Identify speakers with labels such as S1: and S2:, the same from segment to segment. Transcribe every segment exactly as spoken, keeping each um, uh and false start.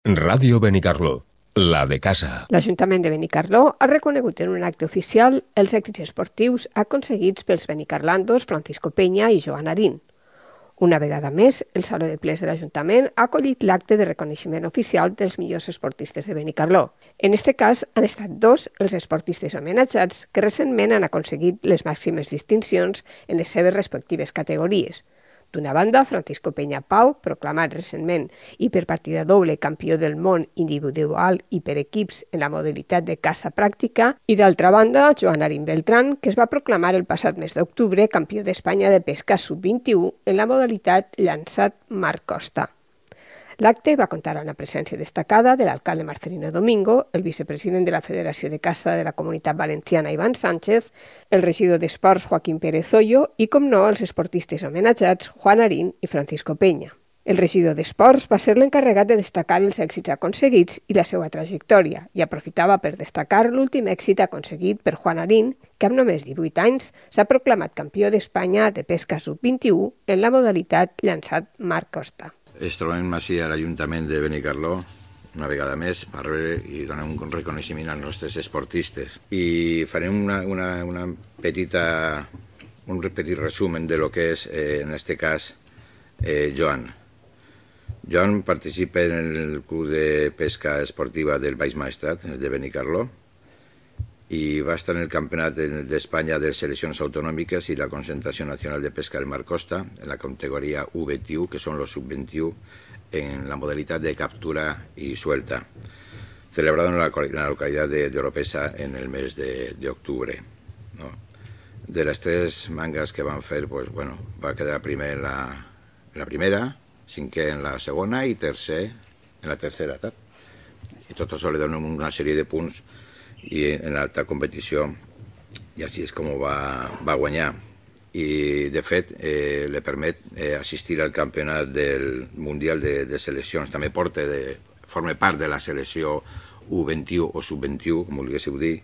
S1: Ràdio Benicarló, la de casa.
S2: L'Ajuntament de Benicarló ha reconegut en un acte oficial els èxits esportius aconseguits pels benicarlandos Francisco Peña i Joan Arín. Una vegada més, el Saló de Plens de l'Ajuntament ha acollit l'acte de reconeixement oficial dels millors esportistes de Benicarló. En aquest cas, han estat dos els esportistes homenatjats que recentment han aconseguit les màximes distincions en les seves respectives categories. D'una banda, Francisco Peña Pau, proclamat recentment i per partida doble campió del món individual i per equips en la modalitat de caça pràctica, i d'altra banda, Joan Arín Beltrán, que es va proclamar el passat mes d'octubre campió d'Espanya de pesca sub vint-i-u en la modalitat llançat mar costa. L'acte va comptar amb la presència destacada de l'alcalde Marcelino Domingo, el vicepresident de la Federació de Caça de la Comunitat Valenciana Iván Sánchez, el regidor d'Esports Joaquín Pérez Hoyo i, com no, els esportistes homenatjats Juan Arín i Francisco Peña. El regidor d'Esports va ser l'encarregat de destacar els èxits aconseguits i la seva trajectòria i aprofitava per destacar l'últim èxit aconseguit per Juan Arín, que amb només divuit anys s'ha proclamat campió d'Espanya de pesca sub vint-i-u en la modalitat llançat mar costa.
S3: Ens trobem així a l'Ajuntament de Benicarló, una vegada més, per veure i donar un reconeixement als nostres esportistes. I farem una, una, una petita, un petit resumen de lo que és, eh, en aquest cas, eh, Joan. Joan participa en el Club de Pesca Esportiva del Baix Maestrat, de Benicarló, i va estar en el Campionat d'Espanya de Seleccions Autonòmiques i la Concentració Nacional de Pesca del Mar Costa en la categoria U vint-i-u, que són los sub vint-i-u, en la modalitat de captura y suelta, celebrado en la, en la localidad de, de Oropesa en el mes de, de octubre. ¿No? De las tres mangas que van fer, pues, bueno, va quedar primer en la, en la primera, cinquè en la segona i tercer en la tercera etapa. I tot això li dona una sèrie de punts i en l'alta competició, i així és com va, va guanyar. I, de fet, eh, li permet eh, assistir al campionat del Mundial de, de Seleccions. També porta de, forma part de la selecció U vint-i-u o sub vint-i-u, com volguéssiu dir.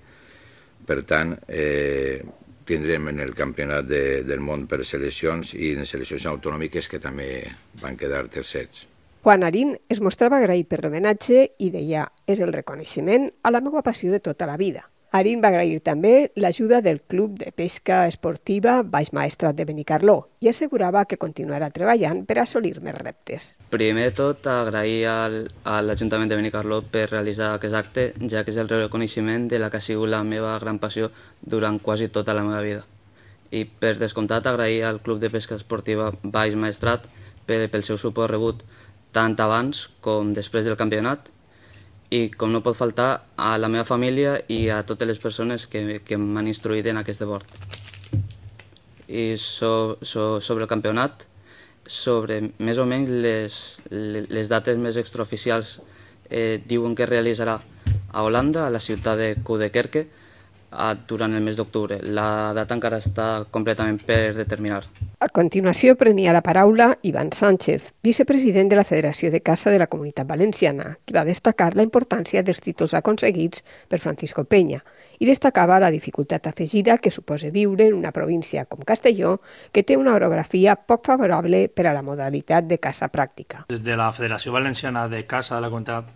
S3: Per tant, eh, tindrem en el campionat de, del món per seleccions i en seleccions autonòmiques que també van quedar tercers.
S2: Juan Arín es mostrava agraït per l'homenatge i deia: és el reconeixement a la meva passió de tota la vida. Arín va agrair també l'ajuda del Club de Pesca Esportiva Baix Maestrat de Benicarló i assegurava que continuarà treballant per assolir més reptes.
S4: Primer de tot, agrair al, a l'Ajuntament de Benicarló per realitzar aquest acte, ja que és el reconeixement de la que ha sigut la meva gran passió durant quasi tota la meva vida. I per descomptat, agrair al Club de Pesca Esportiva Baix Maestrat pel, pel seu suport rebut tant abans com després del campionat, i com no pot faltar a la meva família i a totes les persones que, que m'han instruït en aquest esport. I so, so, sobre el campionat, sobre més o menys les, les dates més extraoficials, eh, diuen que es realitzarà a Holanda, a la ciutat de Coudekerke, durant el mes d'octubre. La data encara està completament per determinar.
S2: A continuació prenia la paraula Iván Sánchez, vicepresident de la Federació de Caça de la Comunitat Valenciana, que va destacar la importància dels títols aconseguits per Francisco Peña i destacava la dificultat afegida que suposa viure en una província com Castelló, que té una orografia poc favorable per a la modalitat de caça pràctica.
S5: Des de la Federació Valenciana de Caça de la Comunitat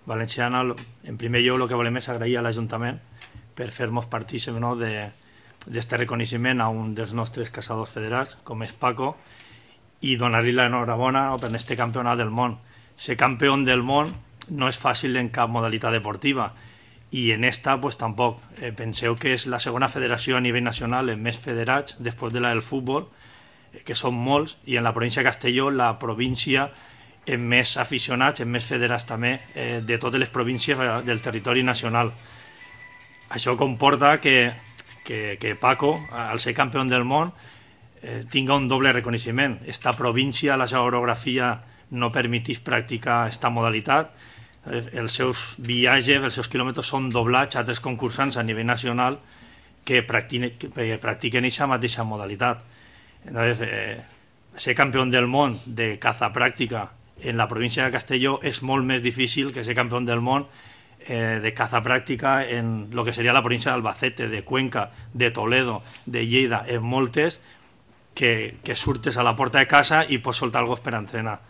S5: Valenciana, en primer lloc, el que volem és agrair a l'Ajuntament per fer-nos partícips, no, d'aquest reconeixement a un dels nostres caçadors federats, com és Paco, i donar-li l'enhorabona, no, per aquest campionat del món. Ser campió del món no és fàcil en cap modalitat deportiva, i en esta pues, tampoc. Eh, penseu que és la segona federació a nivell nacional amb més federats, després de la del futbol, eh, que són molts, i en la província de Castelló, la província amb més aficionats, amb més federats també, eh, de totes les províncies del territori nacional. Això comporta que, que, que Paco, al ser campió del món, eh, tinga un doble reconeixement. Esta província, la seva orografia, no permetís practicar aquesta modalitat. Eh, els seus viatges, els seus quilòmetres són doblats a altres concursants a nivell nacional que practiquen, que practiquen aquesta mateixa modalitat. Entonces, eh, ser campió del món de caza pràctica en la província de Castelló és molt més difícil que ser campió del món Eh, de caza pràctica en lo que seria la província d'Albacete, de Cuenca, de Toledo, de Lleida, en moltes que, que surtes a la porta de casa i pots soltar el gos per entrenar.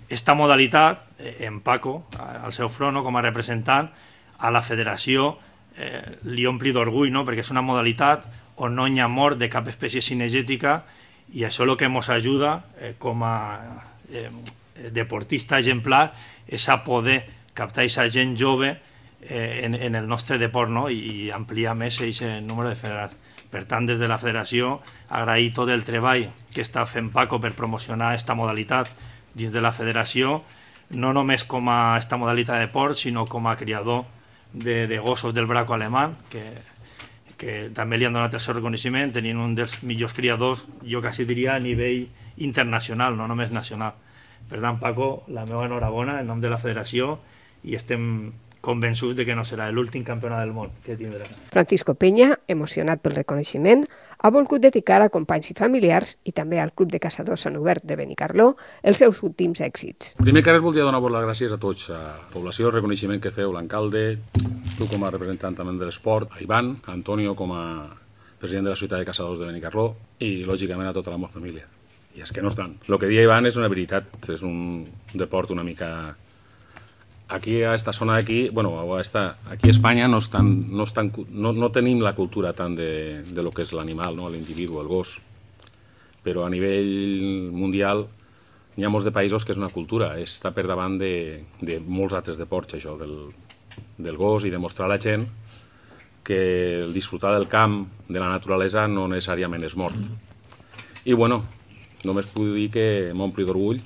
S5: Esta modalitat en Paco, al seu front, no? Com a representant, a la federació eh, li ompli d'orgull, no? Perquè és una modalitat on no hi ha mort de cap espècie cinegètica i això el que ens ajuda eh, com a eh, deportista exemplar és a poder captar aquesta gent jove eh, en, en el nostre deport, no? I, i ampliar més aquest número de federats. Per tant, des de la federació, agrair tot el treball que està fent Paco per promocionar aquesta modalitat dins de la federació, no només com a aquesta modalitat de port, sinó com a criador de, de gossos del braco alemany, que, que també li han donat el seu reconeixement, tenint un dels millors criadors, jo quasi diria a nivell internacional, no només nacional. Per tant, Paco, la meva enhorabona en nom de la federació i estem convençuts de que no serà l'últim campionat del món que tindrà.
S2: Francisco Peña, emocionat pel reconeixement, ha volgut dedicar a companys i familiars i també al Club de Caçadors Sant Hubert de Benicarló els seus últims èxits.
S6: Primer que res voldria donar-vos les gràcies a tots, a la població, el reconeixement que feu, l'alcalde, tu com a representant també de l'esport, a Ivan, a Antonio com a president de la ciutat de Caçadors de Benicarló i, lògicament, a tota la meva família. I és que no estan. El que dia Ivan és una veritat, és un deport una mica... Aquí, a esta zona d'aquí, bueno, a esta, aquí a Espanya no, estan, no, estan, no, no tenim la cultura tant de, de lo que és l'animal, no? L'individu, el gos. Però a nivell mundial hi ha molts de països que és una cultura, està per davant de, de molts altres deports, això, del, del gos, i demostrar a la gent que el disfrutar del camp, de la naturalesa, no necessàriament és mort. I, bueno, només puc dir que m'ompli d'orgull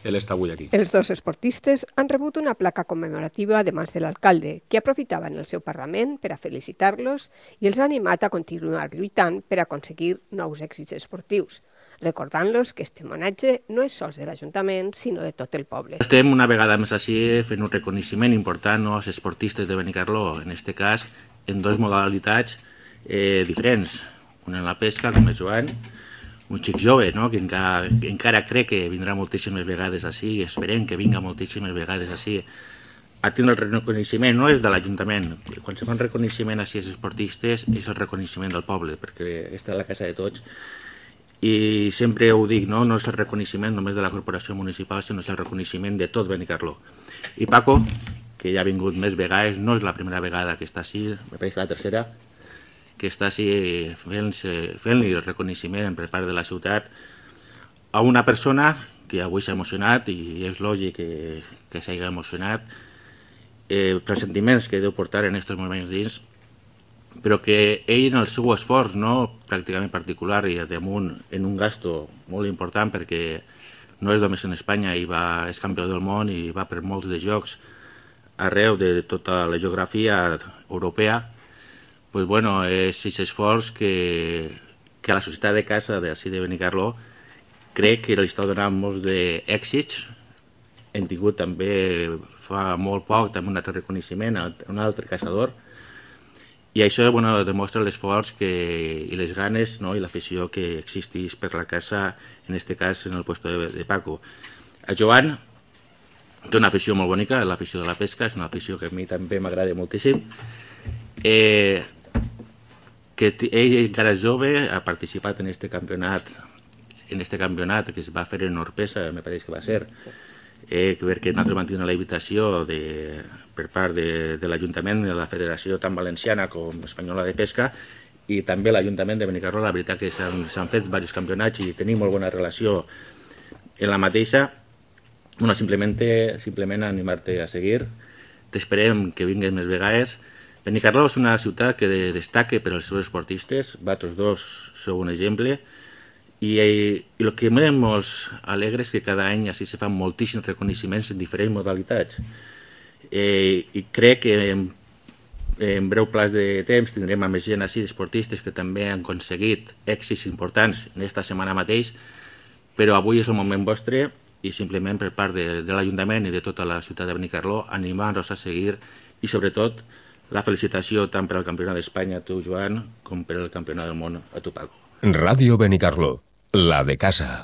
S6: ell està avui aquí.
S2: Els dos esportistes han rebut una placa commemorativa de mans de l'alcalde, que aprofitava en el seu Parlament per a felicitar-los i els ha animat a continuar lluitant per aconseguir nous èxits esportius, recordant-los que este homenatge no és sols de l'Ajuntament, sinó de tot el poble.
S7: Estem una vegada més així fent un reconeixement important als esportistes de Benicarló, en aquest cas en dues modalitats eh, diferents, una en la pesca, com és Joan, un xic jove, no? Que encara, encara crec que vindrà moltíssimes vegades així i esperem que vinga moltíssimes vegades així a tindre el reconeixement, no és de l'Ajuntament. Quan se fa un reconeixement així als esportistes és el reconeixement del poble, perquè està a la casa de tots i sempre ho dic, no, no és el reconeixement només de la corporació municipal, sinó és el reconeixement de tot Benicarló. I Paco, que ja ha vingut més vegades, no és la primera vegada que està així, me pareix que la tercera, que està així fent-li fent el reconeixement per part de la ciutat a una persona que avui s'ha emocionat i és lògic que, que s'hagi emocionat eh, pels sentiments que deu portar en aquests moments dins, però que ell en el seu esforç, no pràcticament particular i damunt en un gasto molt important, perquè no és només en Espanya, i va, és campió del món i va per molts de jocs arreu de tota la geografia europea, pues bueno, és aquest esforç que, que la societat de casa d'ací de Benicarló crec que li està donant molts d'èxits. Hem tingut també fa molt poc també un altre reconeixement a un altre caçador i això bueno, demostra l'esforç i les ganes, no? I l'afició que existeix per la caça, en aquest cas en el puesto de, de Paco. A Joan té una afició molt bonica, l'afició de la pesca, és una afició que a mi també m'agrada moltíssim. Eh, que ell encara és jove, ha participat en aquest campionat, en este campionat que es va fer en Orpesa, me pareix que va ser, eh, perquè nosaltres vam tenir la invitació de, per part de, de l'Ajuntament de la Federació tant valenciana com espanyola de pesca i també l'Ajuntament de Benicarló. La veritat que s'han fet diversos campionats i tenim molt bona relació en la mateixa. Bueno, simplement, simplement animar-te a seguir, t'esperem que vingues més vegades. Benicarló és una ciutat que destaca per als seus esportistes, vosaltres dos sou un exemple, i, i el que més ens alegra és que cada any així se fan moltíssims reconeixements en diferents modalitats. Eh, I crec que en, en breu plaç de temps tindrem a més gent així d'esportistes que també han aconseguit èxits importants en aquesta setmana mateix, però avui és el moment vostre i simplement per part de, de l'Ajuntament i de tota la ciutat de Benicarló animar-nos a seguir i sobretot la felicitació tant per al Campionat d'Espanya a tu, Joan, com per al Campionat del món a tu, Paco.
S1: Ràdio Benicarló, la de casa.